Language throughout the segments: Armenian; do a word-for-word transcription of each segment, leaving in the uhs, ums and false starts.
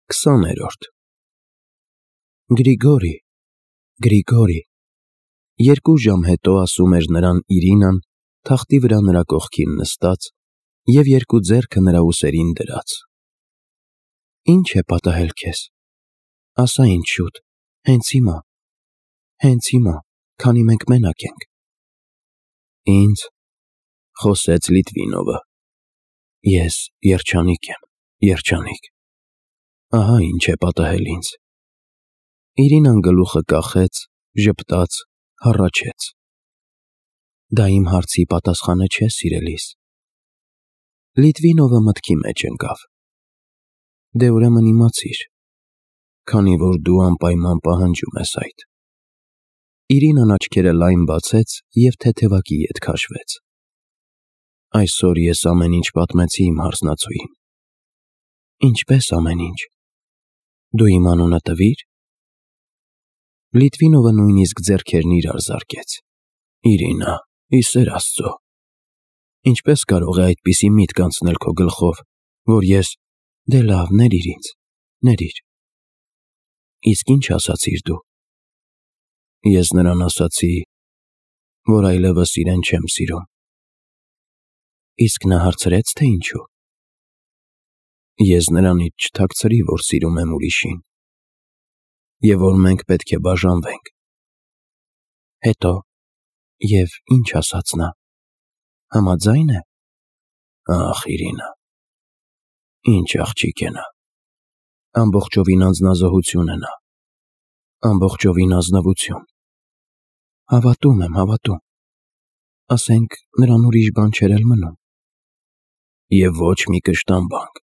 Քսաներորդ Գրիգորի, Գրիգորի, երկու ժամ հետո ասում էր նրան Իրինան, թախտի վրա նրա կողքին նստած և երկու ձեռքը նրա ուսերին դրած. Ինչ է պատահել քեզ, ասա ինձ շուտ, հենց հիմա, հենց հիմա, քանի մենք մենակ ենք: Ինձ, խոսեց Լիտվինովը, ես երջանիկ եմ, երջանիկ, ահա ինչ է պատահել ինձ: Իրինան գլուխը կախեց, ժպտաց, հառաչեց. Դա իմ հարցի պատասխանը չէ, սիրելիս: Լիտվինովը մտքի մեջ ընկավ. Դե ուրեմն իմացիր, քանի որ դու անպայման պահանջում ես այդ: Իրինան աչքերը լայն բացեց և թեթևակի ետ քաշվեց: Այսօր ես ամեն ինչ պատմեցի իմ հարսնացուին: Ինչպե՞ս ամեն ինչ: Դու իմ անունը տվի՞ր: Լիտվինովը նույնիսկ ձեռքերն իրար զարկեց: Իրինա, ի սեր Աստծո, ինչպե՞ս կարող է այդպիսի միտք անցնել քո գլխով, որ ես, դե լավ, ներիր ինձ, ներիր: Իսկ ի՞նչ ասացիր դու: Ես նրան ասացի, որ այլևս իրեն չեմ սիրում: Իսկ նա հարցրեց, թե ինչու: Ես նրանից չթաքցրի, որ սիրում եմ ուրիշին և որ մենք պետք է բաժանվենք: Հետո, և ի՞նչ ասաց նա: Համաձա՞յն է: Ախ, Իրինա, ինչ աղջիկ է նա: Ամբողջովին անձնազոհություն է նա, ամբողջովին ազնվություն: Հավատում եմ, հավատում: Ասենք, նրան ուրիշ բան չէր էլ մնում: Եվ ոչ մի կշտամբանք,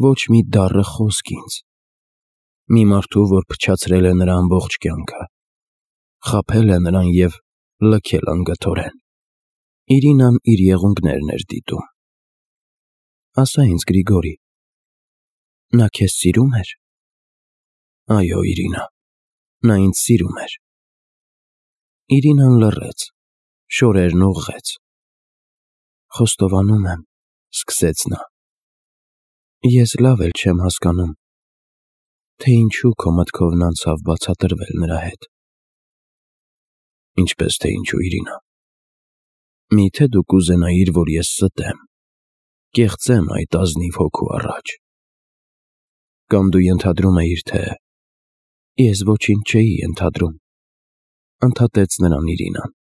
ոչ մի դառը խոսք ինձ: Մի մարդու, որ փչացրել է նրա ամբողջ կյանքը, խաբել է նրան և լքել անգթորեն: Իրինան իր եղունգներն էր դիտում: Ասա ինձ, Գրիգորի, նա քեզ սիրում էր: Այո, Իրինա, նա ինձ սիրում էր: Իրինան լռեց, շորերն ուղղեց: Խոստովանում եմ, սկսեց նա, ես լավ էլ չեմ հասկանում, թե ինչու քո մտքովն անցավ բացատրվել նրա հետ: Ինչպես թե ինչու, Իրինա: Մի՞թե դու կուզենայիր, որ ես ստեմ, կեղծեմ այդ ազնիվ հոգու առաջ: Կամ դու ենթադրում էիր, թե… Ես ոչինչ չէի ենթադրում, ընդհատեց նրան Իրինան: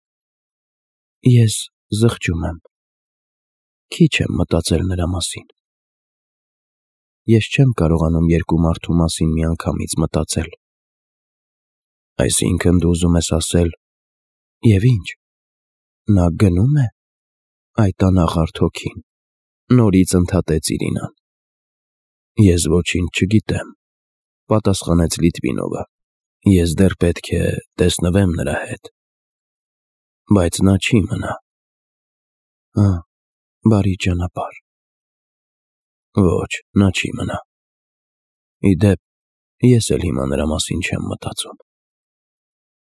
Ես զղջում եմ, քիչ եմ մտածել նրա մասին: Ես չեմ կարողանում երկու մարդու մասին միանգամից մտածել: Այսինքն դու ուզում ես ասել… Եվ ի՞նչ, նա գնո՞ւմ է, այդ անաղարտ հոգին: Նորից ընդհատեց Իրինան: Ես ոչինչ չգիտեմ, պատասխանեց Լիտվինովը: Ես դեռ պետք է տեսնվեմ նրա հետ: Բայց նա չի մնա: Հը, բարի ճանապարհ: Ոչ, նա չի մնա: Ի դեպ, ես էլ հիմա նրա մասին չեմ մտածում: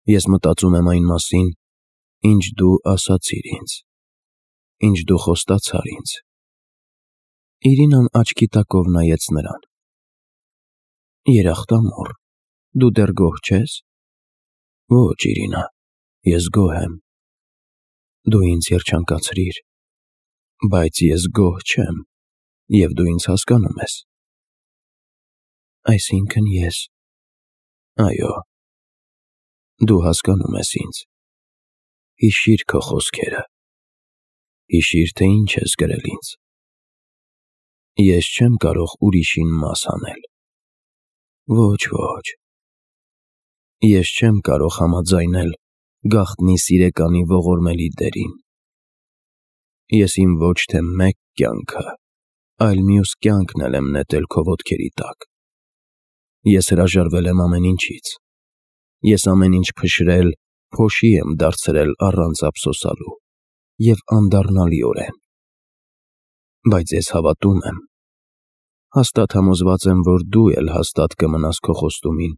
Ես մտածում եմ այն մասին, ինչ դու ասացիր ինձ, ինչ դու խոստացար ինձ: Իրինան աչքի տակով նայեց նրան: Երախտամոռ, դու դեռ գոհ չե՞ս: Ոչ, Իրինա, ես գոհ եմ: Դու ինձ երջանկացրիր: Բայց ես գոհ չեմ և դու ինձ հասկանում ես: Այսինքն ես… Այո, դու հասկանում ես ինձ: Հիշիր քո խոսքերը: Հիշիր, թե ինչ ես գրել ինձ: Ես չեմ կարող ուրիշին մաս անել: Ոչ, ոչ: Ես չեմ կարող համաձայնել գաղտնի սիրեկանի ողորմելի դերին: Ես իմ ոչ թե մեկ կյանքը, այլ մյուս կյանքն էլ եմ նետել քո ոտքերի տակ: Ես հրաժարվել եմ ամեն ինչից: Ես ամեն ինչ փշրել, փոշի եմ դարձրել առանց ափսոսանալու և անդառնալիորեն: Բայց ես հավատում եմ, հաստատ համոզված եմ, որ դու էլ հաստատ կմնաս քո խոստումին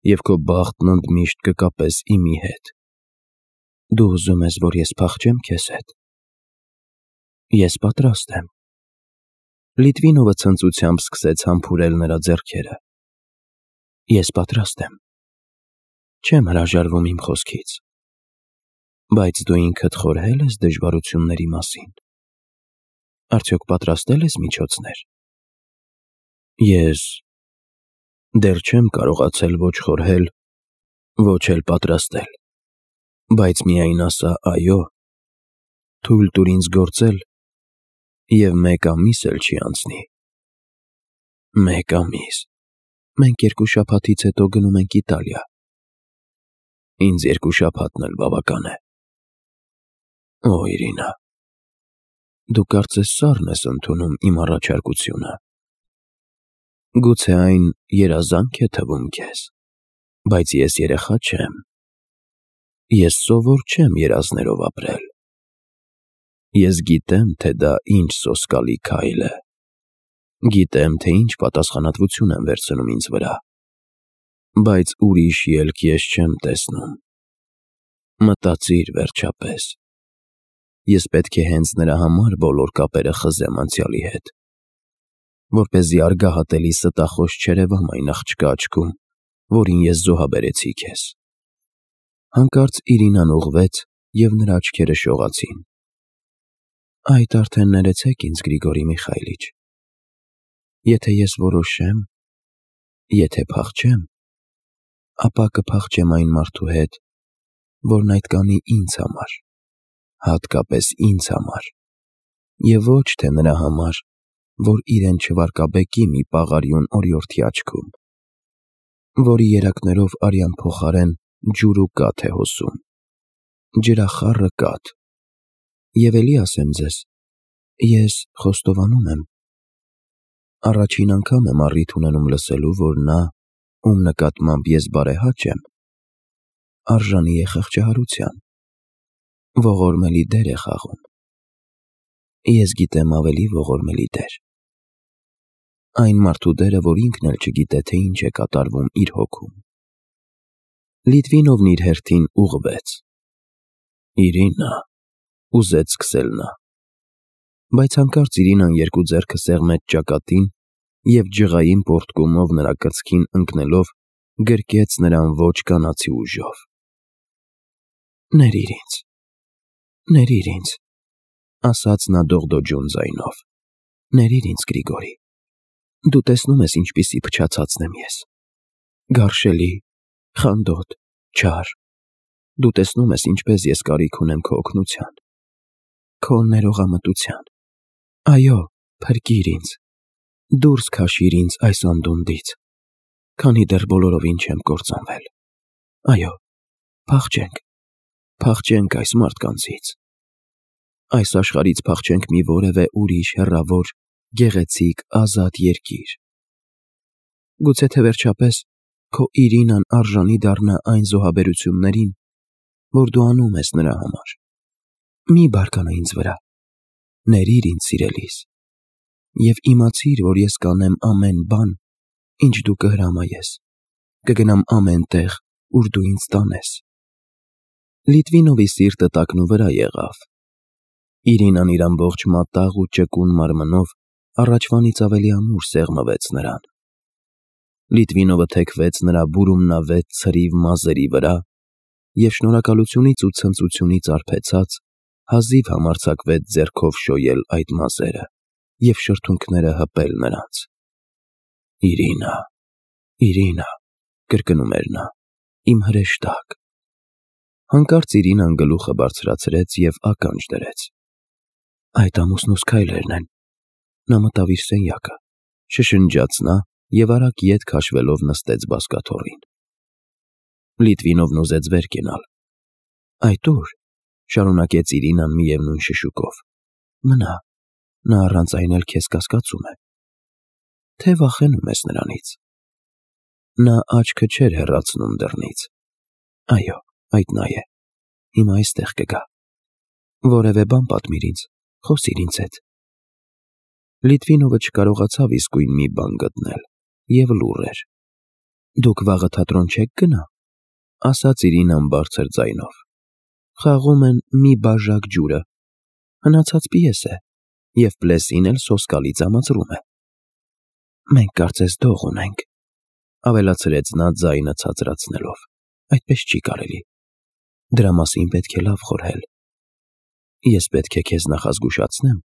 և քո բախտն ընդմիշտ կկապես իմի հետ: Դու ուզում ես, որ ես փախչե՞մ քեզ հետ: Ես պատրաստ եմ: Լիտվինովը ցնծությամբ սկսեց համբուրել նրա ձեռքերը։ Ես պատրաստ եմ։ Չեմ հրաժարվում իմ խոսքից։ Բայց դու ինքդ խորհել ես դժվարությունների մասին։ Արդյոք պատրաստել ես միջոցներ։ Ես դեռ չեմ կարողացել ոչ խորհել, ոչ էլ պատրաստել, բայց միայն ասա այո, թույլ տուր ինձ գործել, և մեկ ամիս էլ չի անցնի։ Մեկ ամիս։ Մենք երկու շաբաթից հետո գնում ենք Իտալիա։ Ինձ երկու շաբաթն էլ բավական է։ Օ, Իրինա, դու կարծես սառն ես ընդունում իմ առաջարկությունը։ Գուցե այն երազանք է թվում քեզ, բայց ես երեխա չեմ։ Ես սովոր չեմ երազներով ապրել։ Ես գիտեմ, թե դա ինչ սոսկալի քայլ է։ Գիտեմ, թե ինչ պատասխանատվություն եմ վերցնում ինձ վրա։ Բայց ուրիշ ելք ես չեմ տեսնում։ Մտածիր վերջապես։ Ես պետք է հենց նրա համար բոլոր կապերը խզեմ անցյալի հետ, որպեսզի արգահատելի ստախոս չերևամ այն աղջկա աչքում, որին ես զոհաբերեցի քեզ։ Հանկարծ Իրինան ուղղվեց, և նրա աչքերը շողացին։ Այդ արդեն ներեցեք ինձ, Գրիգորի Միխայիլիչ։ Եթե ես որոշեմ, եթե փախչեմ, ապա կփախչեմ այն մարդու հետ, որն այդ կանի ինձ համար, հատկապես ինձ համար, և ոչ թե նրա համար, որ իրեն չվարկաբեկի մի պաղարյուն օրիորդի աչքում, որի երակներով արյան փոխարեն ջուր ու կաթ է հոսում, ջրախառը կաթ։ Եվ էլի ասեմ ձեզ, ես խոստովանում եմ, առաջին անգամ եմ առիթ ունենում լսելու, որ նա, ում նկատմամբ ես բարեհաճ եմ, արժանի է խղճահարության, ողորմելի դեր է խաղում։ Ես գիտեմ ավելի ողորմելի դեր։ Այն մարդու դերը, որ ինքն էլ չգիտե, թե ինչ է կատարվում իր հոգում։ Լիտվինովն իր հերթին ուղղվեց։ Իրինա, ուզեց սկսել նա, բայց հանկարծ Իրինան երկու ձեռքը սեղմեց ճակատին և ջղային պոռթկումով նրա կրծքին ընկնելով գրկեց նրան ոչ կանացի ուժով։ Ներիր ինձ, ներիր ինձ, ասաց նա դողդոջուն ձայնով, ներիր ինձ, Գրիգորի, դու տեսնում ես ինչպիսի փչացածն եմ ես, գարշելի, խանդոտ, չար, դու տեսնում ես ինչպես ես կարիք ունեմ քո օգնության, քո ներողամտության, այո, փրկիր ինձ, դուրս քաշիր ինձ այս անդունդից, քանի դեռ բոլորովին չեմ կործանվել, այո, փախչենք, փախչենք այս մարդկանցից, այս աշխարհից փախչենք մի որևէ ուրիշ հեռավոր, գեղեցիկ, ազատ երկիր, գուցե թե վերջապես քո Իրինան արժանի դառնա այն զոհաբերություններին, որ դու անում ես նրա համար։ Մի բարկանա ինձ վրա, ներիր ինձ սիրելիս, և իմացիր, որ ես կանեմ ամեն բան, ինչ դու կհրամայես, կգնամ ամեն տեղ, ուր դու ինձ տանես։ Լիտվինովի սիրտը տակնուվրա եղավ։ Իրինան իր ամբողջ մատաղ ու ճկուն մարմնով առաջվանից ավելի ամուր սեղմվեց նրան։ Լիտվինովը թեքվեց նրա բուրումնավետ ցրիվ մազերի վրա և շնորհակալությունից ու ցնծությունից արբեցած հազիվ համարձակվեց ձեռքով շոյել այդ մազերը և շրթունքները հպել նրանց։ Իրինա, Իրինա, կրկնում էր նա, իմ հրեշտակ։ Հանկարծ Իրինան գլուխը բարձրացրեց և ականջ դրեց։ Այդ ամուսնուս քայլերն են։ Նա մտավ իր սենյակը, շշնջաց նա և արագ ետ քաշվելով նստեց բազկաթոռին։ Լիտվինովն ուզեց վեր կենալ։ Այդ ո՞ւր, շարունակեց Իրինան միևնույն շշուկով, մնա, նա առանց այն էլ քեզ կասկածում է, թե վախենում ես նրանից։ Նա աչքը չէր հեռացնում դռնից։ Այո, այդ նա է, հիմա այստեղ կգա։ Որևէ բան պատմիր ինձ, խոսիր ինձ հետ։ Լիտվինովը չկարողացավ իսկույն մի բան գտնել և լուռ էր։ Դուք վաղը թատրոն չեք գնա, ասաց Իրինան բարձր ձայնով։ Խաղում են մի բաժակ ջուրը, հնացած պիես է, և Պլեսին էլ սոսկալի ծամացրում է։ Մենք կարծես դող ունենք, ավելացրեց նա ձայնը ցածրացնելով, այդպես չի կարելի, դրա մասին պետք է լավ խորհել։ Ես պետք է քեզ նախազգուշացնեմ,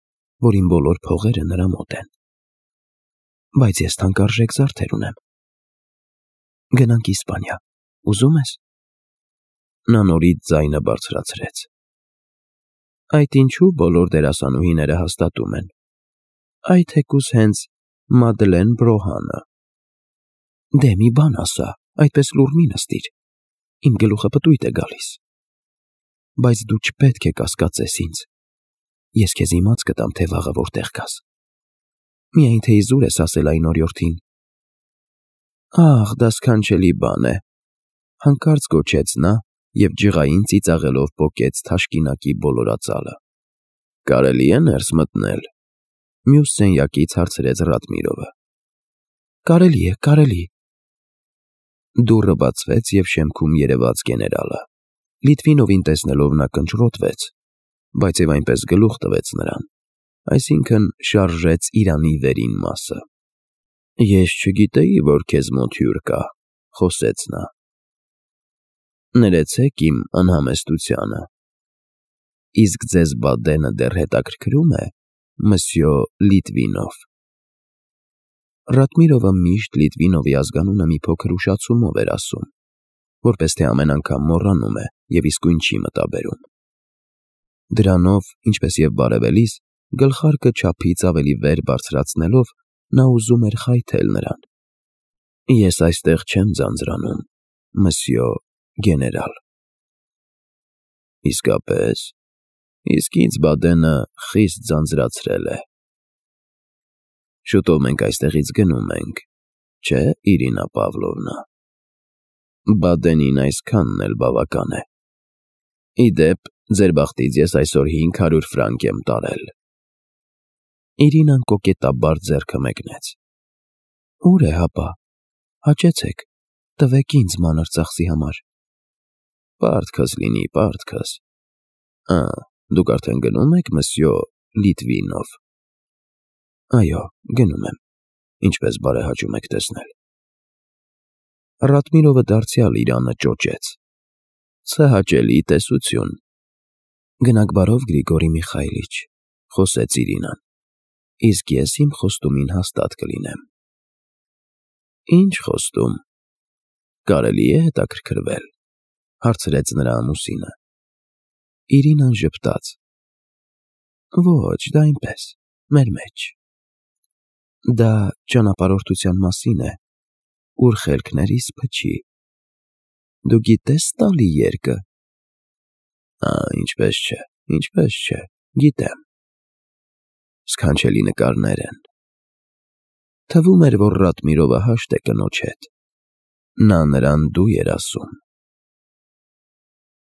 որ իմ բոլոր փողերը նրա մոտ են։ Բայց ես թանկարժեք զարդեր ունեմ։ Գնանք Իսպանիա, ուզում ես։ Նա նորից ձայնը բարձրացրեց։ Այդ ինչու բոլոր դերասանուհիները հաստատում են։ Այդ թեկուզ հենց Մադլեն Բրոհանը։ Դե մի բան ասա, այդպես լուռ մի նստիր, իմ գլուխը պտույտ է գալիս։ Բայց դու չպետք է կասկածես ինձ, ես քեզ իմաց կտամ, թե վաղը որտեղ կաս։ Միայն թե իզուր ես ասել այն օրիորդին։ Ահ, դա սքանչելի բան է, հանկարծ գոչեց նա և ջղային ծիծաղելով պոկեց թաշկինակի բոլորածալը։ Կարելի է ներս մտնել, մյուս սենյակից հարցրեց Ռադմիրովը։ Կարելի է, կարելի։ Դուռը բացվեց և շեմքում երևաց գեներալը։ Լիտվինովին տեսնելով նա կնճռոտվեց, բայց և այնպես գլուխ տվեց նրան, այսինքն շարժեց իրանի վերին մասը։ Ես չգիտեի, որ քեզ մոտ հյուր կա, խոսեց նա։ Ներեցեք իմ անհամեստությանը։ Իսկ ձեզ Բադենը դեռ հետաքրքրում է, մսյո Լիտվինով։ Ռադմիրովը միշտ Լիտվինովի ազգանունը մի փոքր ուշացումով էր ասում, որպես թե ամեն անգամ մոռանում է և իսկույն չի մտաբերում։ Դրանով, ինչպես և բարևելիս, գլխարկը չափից ավելի վեր բարձրացնելով, նա ուզում էր խայթել նրան։ Ես այստեղ չեմ ձանձրանում, մսյո գեներալ։ Իսկապես, իսկ ինձ Բադենը խիստ ձանձրացրել է։ Շուտով մենք այստեղից գնում ենք, չէ, Իրինա Պավլովնա։ Բադենին այսքանն էլ բավական է։ Ի դեպ, ձեր բախտից ես այսօր հինգ հարյուր ֆրանկ եմ տարել։ Իրինան կոկետաբար ձեռքը մեկնեց։ Ուր է հապա, հաճեցեք, տվեք ինձ մանր ծախսի համար։ Պարտքս լինի, պարտքս։ Ա, դուք արդեն գնում եք, մսյո Լիտվինով։ Այո, գնում եմ, ինչպես բարեհաճում եք տեսնել։ Ռադմիրովը դարձյալ իրանը ճոճեց։ Ցհաճելի տեսություն։ Գնաք բարով, Գրիգորի Միխայիլիչ, խոսեց Իրինան, իսկ ես իմ խոստումին հաստատ կլինեմ։ Ինչ խոստում։ Կարելի է հետաքրքրվել, հարցրեց նրա ամուսինը։ Իրինան ժպտաց։ Ոչ, դա այնպես, մեր մեջ։ Դա ճանապարհորդության մասին է, ուր խելքներիս փչի։ Դու գիտես տալի երկը։ Ա, ինչպես չէ, ինչպես չէ, գիտեմ։ Սքանչելի նկարներ են։ Թվում էր, որ Ռադմիրովը հաշտ է կնոջ հետ։ Նա նրան դու էր ասում։